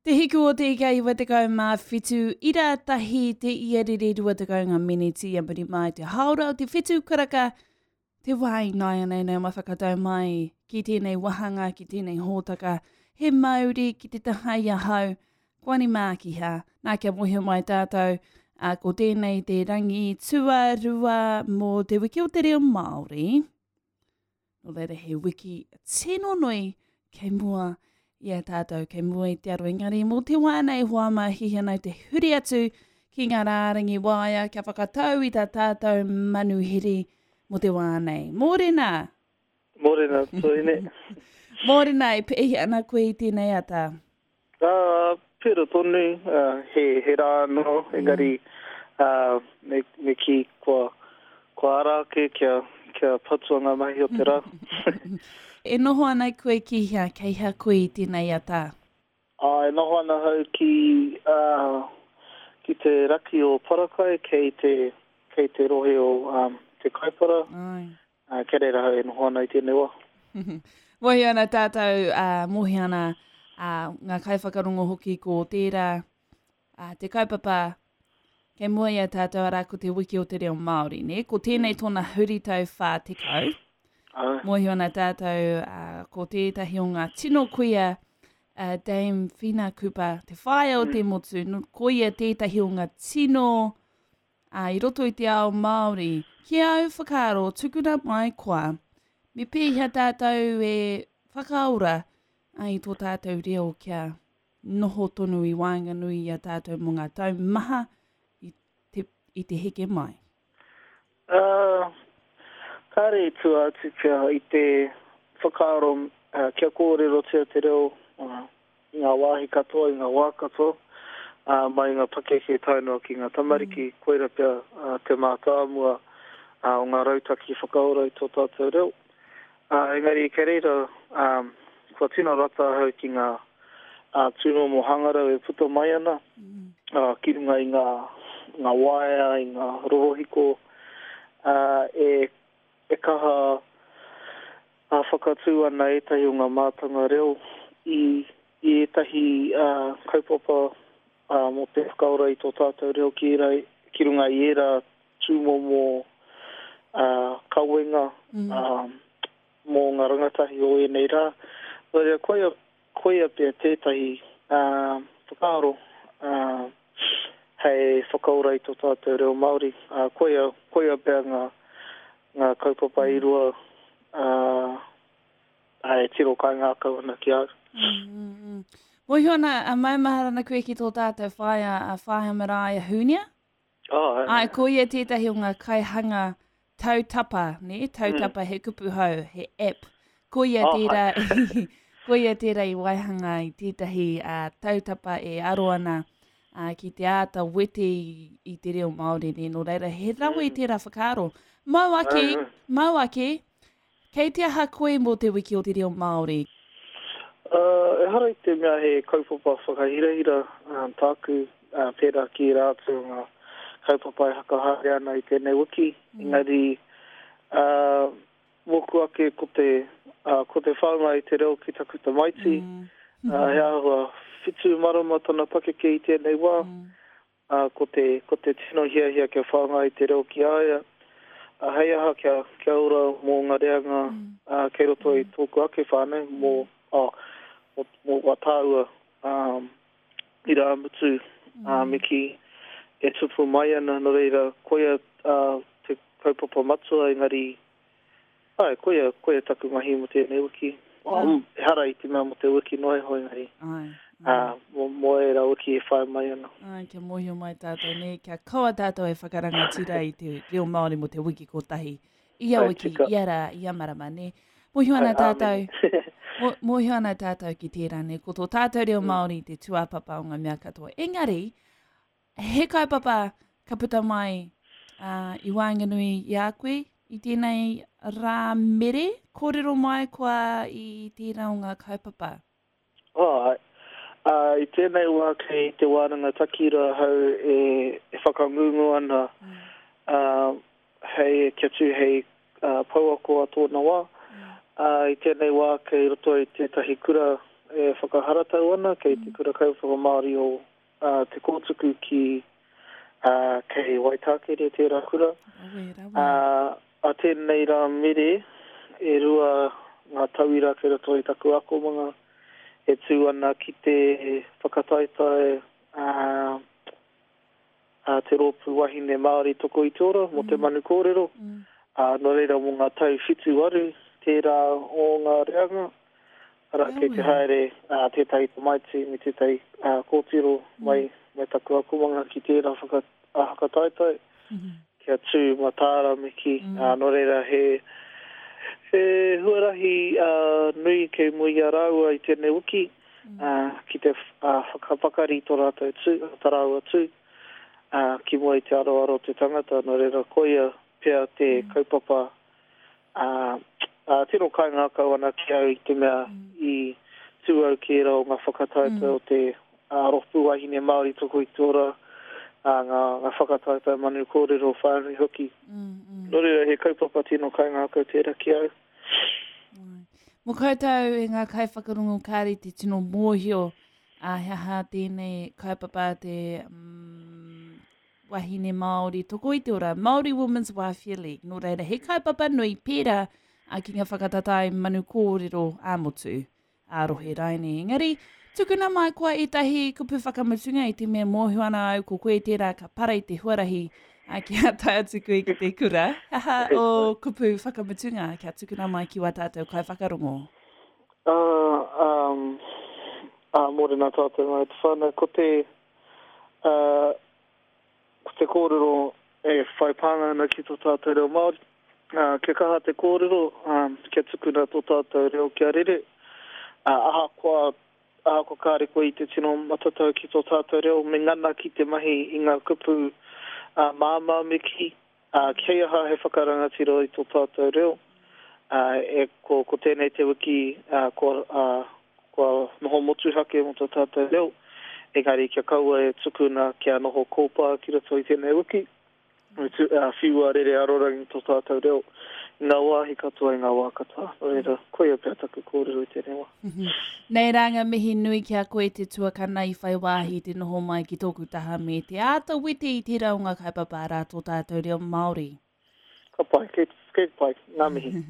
Te hiku o te ika 97 ira tahi te iarere 20 ngā meneti a muri mai te hāora o te whitu karaka te wā i nāianei nei ma whakatau mai ki tēnei wahanga ki tēnei hōtaka he mauri ki te taha i ahau Koani Mākiha nā kia mōhio mai tātou a, ko tēnei te rangi tuarua mō te wiki o te reo Māori. Nō reira he wiki tino nui kei mua i a tātou, kei mua i te aro. Engari mō te wā nei hoa mā hihi ana te huri atu ki ngā rārangi waea kia whakatau i tā tātou manuhiri mō te wā nei. Mōrena! Mōrena, Toine. Mōrena, e pēhea ana koe i tēnei ata? Ā, pērā tonu, ā, he, he rā anō, engari, ā, me, me kī, kua, kua ara ake kia, kia patua ngā mahi o te rā. E noho ana koe ki hea, kei hea koe i tēnei ata? Ā, e noho ana ahau ki, ā, ki te raki o Parakai, kei te, kei te rohe o, ā, Te Kaipara. Āe. Ā, kei reira ahau e noho ana i tēnei wā. Mōhio ana tātou, ā, mōhio ana ā, ngā kaiwhakarongo hoki ko tērā ā, te kaupapa kei mua i a tātou arā ko te wiki o te reo Māori, nē? Ko tēnei tōna huritau 40. Āe. Mōhio ana tātou ā, ko tētahi o ngā tino kuia ā, Dame Whina Cooper, te whaea o te motu, no, ko ia tētahi o ngā tino Ā, i roto i te ao Māori, ki āu whakaaro, tukuna mai koa, me pēhea tātou e whakaora i tō tātou reo kia noho tonu i waenganui i a tātou mō ngā tau maha i te, i te heke mai? Ā, kāre i tua atu pea i te whakaaro kia kōrerotia te reo i ngā wāhi katoa, i ngā wā katoa, ā, mai i ngā pakeke tae noa ki ngā tamariki, koira pea te mātāmua o ngā rautaki whakaora i tō tātou reo. Ā, engari kei reira, ā, kua tino rata ahau ki ngā tūmomo hangarau e puta mai ana, ā, ki runga i ngā, ngā waea, i ngā rorohiko, ā, e, e kaha Ā, whakatū ana ētahi o ngā mātanga reo i i ētahi kaupapa mō te whakaora i tō tātou reo ki ērā, ki runga i ērā tūmomo kawenga mō ngā rangatahi o ēnei rā. Nō reira, koia, koia pea tētahi whakaaro hei whakaora i tō tātou reo Māori. Koia, koia pea ngā, ngā kaupapa e rua ā, e tiro kaingākau ana ki a au. Mm, mm, mm. Mōhio ana, a maumahara ana koe ki tō tātou whaea, a Whaea Maraea Hunia? Oh, ai. Ai, ko ia tētahi o ngā kaihanga tautapa, ne? Tautapa mm. he kupu hou, he app. Ko ia oh, tērā, ko ia tērā i waihanga i tētahi uh, tautapa e aro ana uh, ki te āta wete i, i te reo Māori, ne? Nō reira, he rawe mm. tērā whakaaro. Mau ake, mau ake, kei te aha koe mō te wiki o te reo Māori? Uh, ehara i te mea he kaupapa whakahirahira um, tāku, uh, pērā ki ērā atu o ngā kaupapa e hakahaere ana i tēnei wiki. Mm. Engari, uh, mōku ake ko te, uh, ko te whāngai i te reo ki taku tamaiti, mm. uh, he āhua whitu marama tana pakeke i tēnei wā, mm. uh, ko, te, ko te tino hiahia kia whāngai i te reo ki a ia, uh, hei aha kia, kia ora mō ngā reanga mm. uh, kei roto i mm. tōku ake whānau, mō, oh, mō, mō wā tāua um, irāmutu, mm. me kī, e tupu mai ana, nō reira, koia uh, te kaupapa matua, engari, ai, koia, koia taku mahi mō tēnei wiki. Ah. Um, ehara i te mea mō te wiki noa iho, engari, ai, ai. Uh, mō, mō ērā wiki e whai mai ana. Ai, kia mōhio mai tātou, ne, kia kaua tātou e whakarangatira i te reo Māori mō te wiki kotahi. Ia wiki, ia rā, ia marama, ne. Mōhio ana tātou, mōhio ana tātou ki tērā, ne, ko tō tātou reo mm. Māori te tūāpapa o ngā mea katoa. Engari, he kaupapa ka puta mai uh, i waenganui i a koe i tēnei rā mere, kōrero mai koa i tērā o ngā kaupapa. Āe. Ā, i tēnei wā kei Te Wānanga Takira ahau e, e whakangungu ana, ā, hei, kia tū hei ā, pouako a tōna wā. Ā, i tēnei wā kei roto i tētahi kura, e whakaharatau ana kei te Kura Kaupapa Māori o Te Kōtuku ki kei Waitākere tērā kura. Rawe, rawe. A tēnei rā mere, e rua ngā tauira kei roto i taku akomanga e tū ana ki te whakataetae a te Rōpū Wahine Māori Toko i te Ora mō te Manu Kōrero, ā, nō reira mō ngā tau 7, 8 tērā o ngā reanga, arā, kei te haere tētahi tamaiti me tētahi kōtiro mai, mai taku akomanga ki tērā whaka, whakataetae, kia tū mataara me kī, ā, nō reira he, he huarahi nui kei mua i a rāua i tēnei wiki, ā, ki te whakapakari tō rātou tū, tā rāua tū, ā, ki mua i te aroaro o te tangata, nō reira koia pea te kaupapa, ā, ā, tino kaingākau ana ki au i te mea i tū au ki ērā o ngā whakataetae o te Rōpū Wāhine Māori Toko i te Ora, ā, ngā, ngā whakataetae manu kōrero whānui hoki. Nō reira he kaupapa tino kaingākau tērā ki au. Mō koutou e ngā kaiwhakarongo kāre te tino mōhio a he aha tēnei kaupapa te mm, wahine Māori toko i te ora, Māori Women's Welfare League. Nō reira, he kaupapa nui pērā a ki ngā whakatatae manu kōrero ā-motu. ā-rohe raine. Engari, tukuna mai koa ētahi kupu whakamutunga i te mea mōhio ana au ko koe tērā ka para i te huarahi ā, kia tae atu koe ki te kura. He aha ō kupu whakamutunga kia tukuna mai ki wā tātou kaiwhakarongo? Uh, um, uh, mōrena tātou ngā te whānau. Ko te, uh, Ko te kōrero e whai pānga ana ki tō tātou reo Māori, ā, kia kaha te kōrero, ā, kia tukuna tō tātou reo kia rere, ā, ahakoa, ahakoa kāre koe i te tino matatau ki tō tātou reo, me ngana ki te mahi i ngā kupu, ā, māmā me kī, ā, kei aha he whakarangatira i tō tātou reo, ā, e, ko, ko tēnei te wiki, ā, kua, ā, Kua noho motuhake mō tō tātou reo, engari kia kaua e tukuna kia noho kōpā ki roto i tēnei wiki, me tu, uh, whiua rere arorangi tō tātou reo i ngā wāhi katoa, i ngā wā katoa. Nō reira, koia pea taku kōrero i tēnei wā. Nei rā ngā mihi nui ki a koe te tuakana i whai wāhi te noho mai ki tōku taha me te āta wete i tērā o ngā kaupapa arā tō tātou reo Māori. Ka pai, kei, kei pai, ngā mihi.